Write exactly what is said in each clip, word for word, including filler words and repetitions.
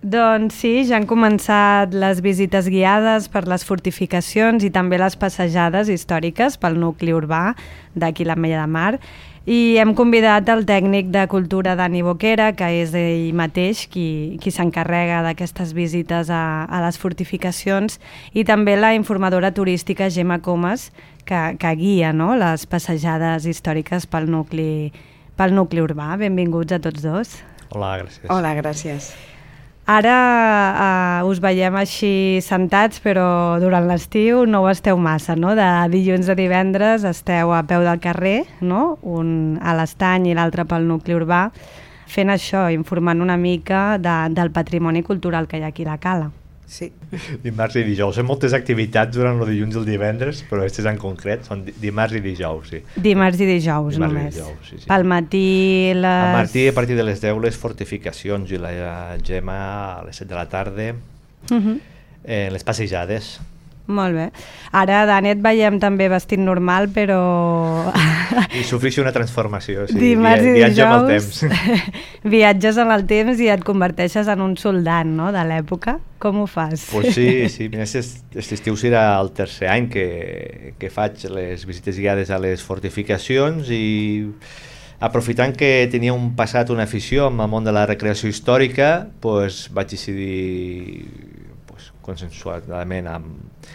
Doncs sí, ja han començat les visites guiades per les fortificacions i també les passejades històriques pel nucli urbà d'aquí l'Ametlla de Mar. I hem convidat el tècnic de cultura Dani Boquera, que és ell mateix qui, qui s'encarrega d'aquestes visites a, a les fortificacions, i també la informadora turística Gemma Comas, que, que guia, no?, les passejades històriques pel nucli, pel nucli urbà. Benvinguts a tots dos. Hola, gràcies. Hola, gràcies. Ara uh, us veiem així sentats, però durant l'estiu no ho esteu massa, no? De dilluns a divendres esteu a peu del carrer, no? Un a l'Estany i l'altre pel nucli urbà, fent això, informant una mica de, del patrimoni cultural que hi ha aquí a la Cala. Sí. Dimarts i dijous. Hi ha moltes activitats durant el dilluns i el divendres, però aquestes en concret són dimarts i dijous, sí. Dimarts i dijous, dimarts només. I dijous, sí, sí. Pel matí les... Al matí, a partir de les deu, les fortificacions i la Gemma a les set de la tarda, uh-huh. eh, les passejades. Molt bé. Ara, Dani, et veiem també vestit normal, però... I sofreixo una transformació, sí. Dimarts i Viatge dijous, amb el temps. Viatges en el temps i et converteixes en un soldat, no?, de l'època. Com ho fas? Pues sí, sí. Aquest estiu serà el tercer any que, que faig les visites guiades a les fortificacions i aprofitant que tenia un passat, una afició amb el món de la recreació històrica, pues vaig decidir pues, consensuadament amb,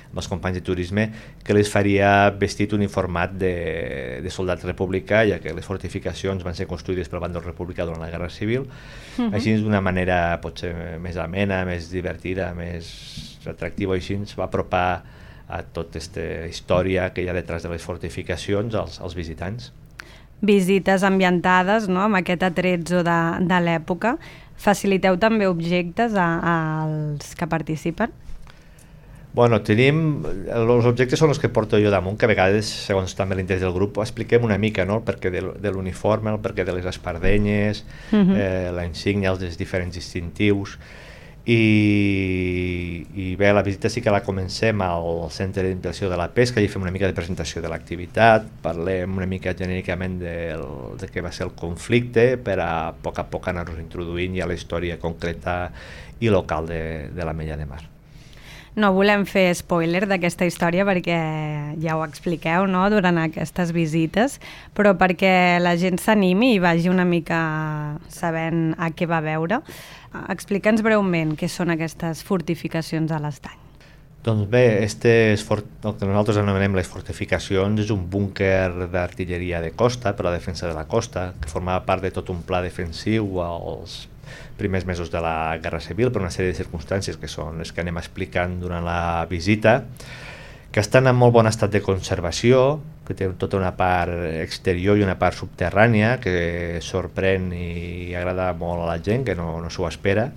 amb els companys de turisme que les faria vestit uniformat de, de soldat republicà, ja que les fortificacions van ser construïdes pel bàndol republicà durant la Guerra Civil. Uh-huh. Així d'una manera potser més amena, més divertida, més atractiva, i així ens va apropar a tota aquesta història que hi ha detrás de les fortificacions als, als visitants. Visites ambientades, no?, amb aquest atrezzo de, de l'època. Faciliteu també objectes a, als que participen? Bueno, tenim... Els objectes són els que porto jo damunt, que a vegades, segons també l'interès del grup, expliquem una mica, no?, el perquè de, de l'uniforme, el perquè de les espardenyes, uh-huh. eh, la insígnia, els diferents distintius. I, i bé, la visita sí que la comencem al Centre d'Inversió de la Pesca, i fem una mica de presentació de l'activitat, parlem una mica genèricament del, de què va ser el conflicte, per a, a poc a poc anar-nos introduint ja la història concreta i local de, de l'Ametlla de Mar. No volem fer spoiler d'aquesta història perquè ja ho expliqueu, no?, durant aquestes visites, però perquè la gent s'animi i vagi una mica sabent a què va veure. Explica'ns breument què són aquestes fortificacions a l'Estany. Doncs bé, estes fort... el que nosaltres anomenem les fortificacions és un búnquer d'artilleria de costa per a la defensa de la costa, que formava part de tot un pla defensiu als primers mesos de la Guerra Civil per una sèrie de circumstàncies que són les que anem explicant durant la visita, que estan en molt bon estat de conservació, que té tota una part exterior i una part subterrània que sorprèn i agrada molt a la gent, que no, no s'ho espera,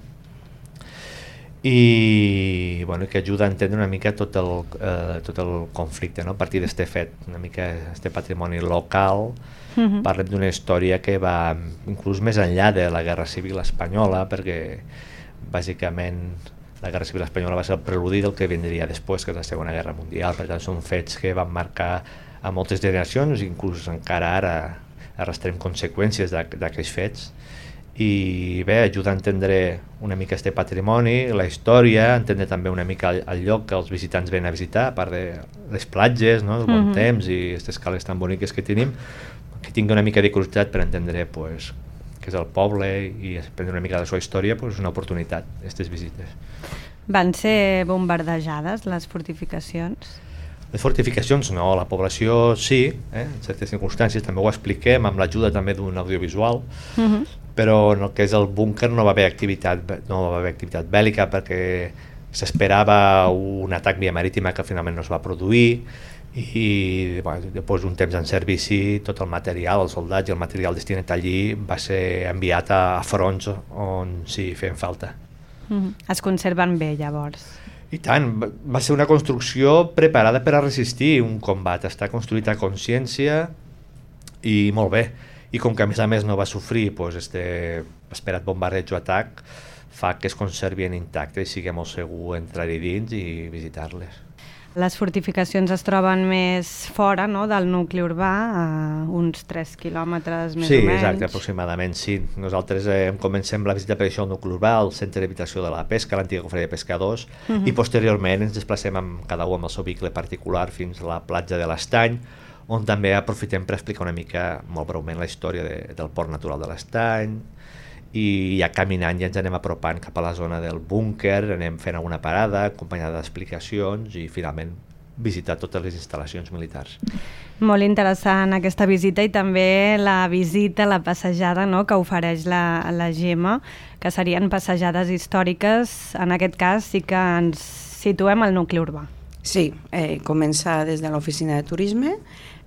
i bueno, que ajuda a entendre una mica tot el, eh, tot el conflicte, no? A partir d'este fet, una mica este patrimoni local. Uh-huh. Parlem d'una història que va inclús més enllà de la Guerra Civil Espanyola, perquè bàsicament la Guerra Civil Espanyola va ser el preludi del que vindria després, que és la Segona Guerra Mundial. Per tant, són fets que van marcar a moltes generacions, inclús encara ara arrastrem conseqüències d'aquests fets, i bé, ajuda a entendre una mica este patrimoni, la història, entendre també una mica el, el lloc que els visitants venen a visitar, a part de les platges, no?, el bon uh-huh. temps i aquestes cales tan boniques que tenim, que tingui una mica de curiositat per entendre pues, què és el poble i aprendre una mica de la seva història, pues, és una oportunitat, aquestes visites. Van ser bombardejades les fortificacions? Les fortificacions no, la població sí, eh? En certes circumstàncies també ho expliquem amb l'ajuda també d'un audiovisual, uh-huh. però en el que és el búnquer no va haver activitat, no va haver activitat bèl·lica perquè s'esperava un atac via marítima que finalment no es va produir, i bueno, després d'un temps en servici tot el material, els soldats i el material destinat allí va ser enviat a fronts on sí feien falta. Uh-huh. Es conserven bé llavors? I tant, va ser una construcció preparada per a resistir un combat, està construït a consciència i molt bé. I com que a més a més no va sofrir doncs, este esperat bombardeig o atac, fa que es conservin intactes i sigui molt segur entrar-hi dins i visitar-les. Les fortificacions es troben més fora, no?, del nucli urbà, a uns tres quilòmetres més sí, o menys. Sí, exacte, aproximadament, sí. Nosaltres eh, comencem la visita per això al nucli urbà, al centre d'habitació de la pesca, l'antiga cofreria de pescadors, uh -huh. i posteriorment ens desplacem amb cada un amb el seu vehicle particular fins a la platja de l'Estany, on també aprofitem per explicar una mica, molt breument, la història de, del port natural de l'Estany, i ja caminant ja ens anem apropant cap a la zona del búnquer, anem fent alguna parada acompanyada d'explicacions i finalment visitar totes les instal·lacions militars. Molt interessant aquesta visita i també la visita, la passejada, no?, que ofereix la, la Gemma, que serien passejades històriques. En aquest cas sí que ens situem al nucli urbà. Sí, eh, comença des de l'oficina de turisme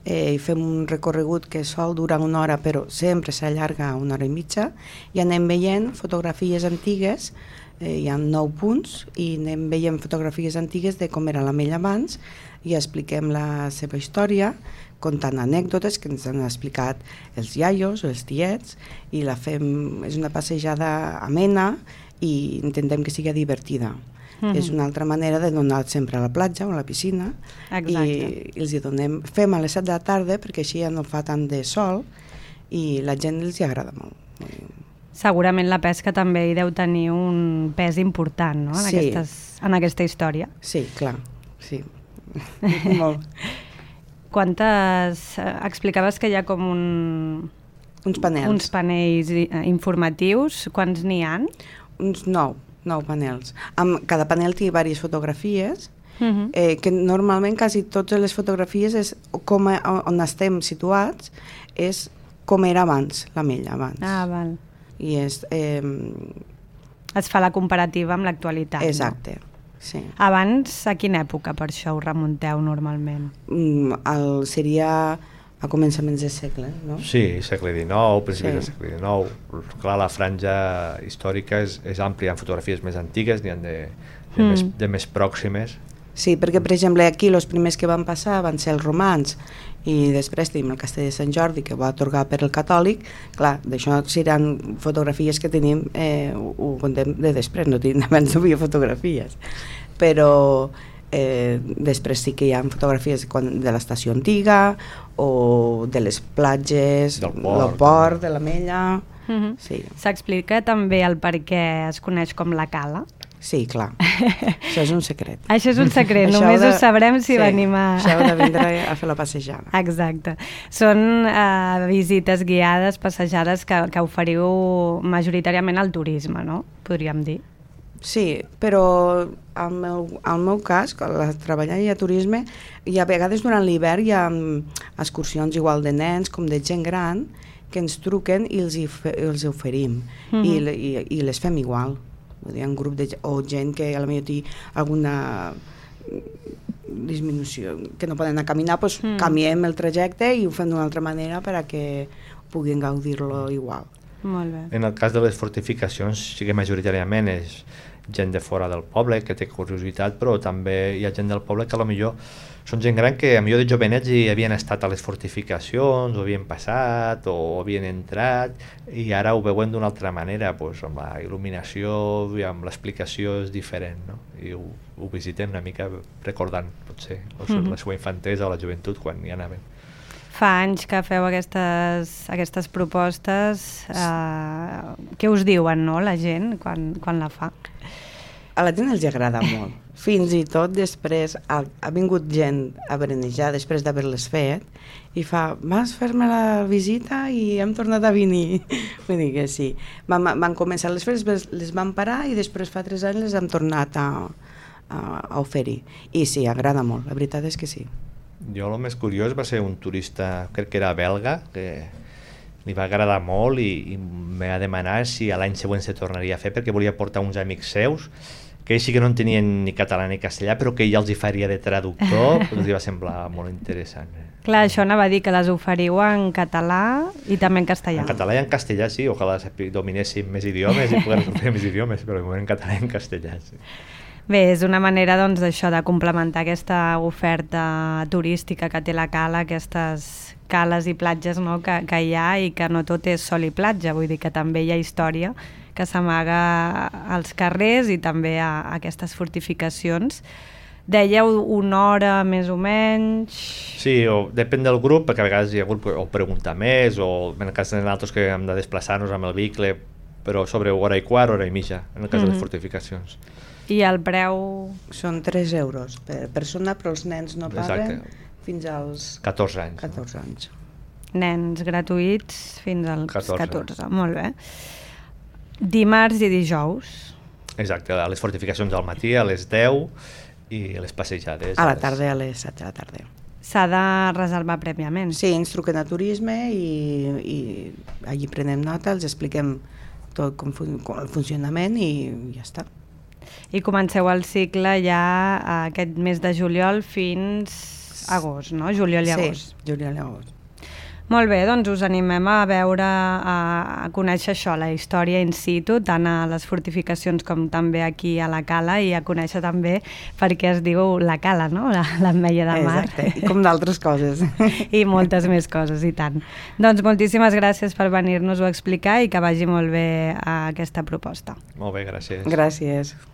eh, i fem un recorregut que sol durar una hora però sempre s'allarga una hora i mitja i anem veient fotografies antigues, eh, hi ha nou punts i anem veient fotografies antigues de com era l'Amella abans i expliquem la seva història contant anècdotes que ens han explicat els iaios o els tiets i la fem, és una passejada amena i intentem que sigui divertida. Mm-hmm. És una altra manera de donar sempre a la platja o a la piscina. Exacte. i, i els hi donem, fem a les set de la tarda perquè així ja no fa tant de sol i la gent els hi agrada molt. Segurament la pesca també hi deu tenir un pes important, no?, en, sí. aquestes, en aquesta història. Sí, clar, sí. Molt. Quantes... Explicaves que hi ha com un... Uns panels. Uns panells informatius. Quants n'hi ha? Uns nou. nou panels. Amb, cada panel té diverses fotografies, uh-huh. eh, que normalment quasi totes les fotografies és com a, on estem situats és com era abans, l'Amella abans. Ah, val. I és... Eh, es fa la comparativa amb l'actualitat. Exacte, no? Sí. Abans, a quina època per això ho remunteu normalment? Mm, el, seria... a començaments del segle, no? Sí, segle dinou, principis sí. del segle dinou. Clar, la franja històrica és, és àmplia, hi ha fotografies més antigues, n'hi ha de, de, mm. més, de més pròximes. Sí, perquè, per exemple, aquí els primers que van passar van ser els romans i després tenim el castell de Sant Jordi, que va atorgar per el catòlic. Clar, d'això seran fotografies que tenim, eh, ho, ho contem de després, no tenim, abans no havia fotografies. Però... Eh, després sí que hi ha fotografies de l'estació antiga o de les platges, del port, el port de l'Amella. Uh-huh. Sí. S'explica també el per què es coneix com la Cala? Sí, clar. Això és un secret. Això és un secret, només de... ho sabrem si sí, venim a... Això heu de vindre a fer la passejada. Exacte. Són uh, visites guiades, passejades que, que oferiu majoritàriament al turisme, no? Podríem dir. Sí, però al meu, al meu cas, quan treballant a turisme, i a vegades durant l'hivern hi ha excursions igual de nens com de gent gran que ens truquen i els hi, fe, els hi oferim mm-hmm. I, i, i les fem igual. Hi ha un grup de o gent que a la millor té alguna disminució, que no poden anar a caminar, doncs mm. canviem el trajecte i ho fem d'una altra manera perquè puguin gaudir-lo igual. Molt bé. En el cas de les fortificacions sí que majoritàriament és gent de fora del poble que té curiositat, però també hi ha gent del poble que a lo millor són gent gran que a millor de jovenets hi havien estat a les fortificacions, o havien passat, o havien entrat, i ara ho veuen d'una altra manera, doncs, amb la il·luminació i amb l'explicació és diferent, no? I ho, ho visiten una mica recordant, potser, mm-hmm. la seva infantesa o la joventut quan hi anaven. Fa anys que feu aquestes, aquestes propostes, eh, què us diuen, no, la gent quan, quan la fa? A la gent els agrada molt. Fins i tot després ha, ha vingut gent a berenejar després d'haver-les fet i fa, vas fer-me la visita i hem tornat a venir. Vull dir que sí. Van, van començar les fes, les van parar i després fa tres anys les hem tornat a, a, a oferir. I sí, agrada molt, la veritat és que sí. Jo el més curiós va ser un turista, crec que era belga, que li va agradar molt i, i m'ha de demanar si a l'any següent se tornaria a fer perquè volia portar uns amics seus que ells sí que no entenien ni català ni castellà però que ell els hi faria de traductor, però els va semblar molt interessant. Clar, això anava a dir que les oferiu en català i també en castellà. En català i en castellà sí, ojalà dominéssim més idiomes i pogués fer més idiomes, però de moment en català i en castellà sí. Bé, és una manera doncs d'això, de complementar aquesta oferta turística que té la Cala, aquestes cales i platges, no, que, que hi ha i que no tot és sol i platja, vull dir que també hi ha història que s'amaga als carrers i també a, a aquestes fortificacions Dèieu una hora més o menys... Sí, o depèn del grup, perquè a vegades hi ha grup que o pregunta més, o en el cas de nosaltres que hem de desplaçar-nos amb el vehicle, però sobre hora i quart, hora i mitja, en el cas mm-hmm. de les fortificacions. I el preu? Són tres euros per persona, però els nens no paguen fins als... catorze anys. catorze anys. Nens gratuïts fins als catorze. catorze, molt bé. Dimarts i dijous. Exacte, a les fortificacions al matí, a les deu, i les passejades... A la tarda, a les set de la tarda. S'ha de reservar prèviament? Sí, ens truquen a turisme i, i allí prenem nota, els expliquem tot com, fun com el funcionament i ja està. I comenceu el cicle ja aquest mes de juliol fins agost, no? Juliol i agost. Sí, juliol i agost. Molt bé, doncs us animem a veure, a conèixer això, la història in situ, tant a les fortificacions com també aquí a la Cala, i a conèixer també per què es diu la Cala, no? L'Ametlla de Mar. Exacte, i com d'altres coses. I moltes més coses, i tant. Doncs moltíssimes gràcies per venir-nos-ho a explicar i que vagi molt bé aquesta proposta. Molt bé, gràcies. Gràcies.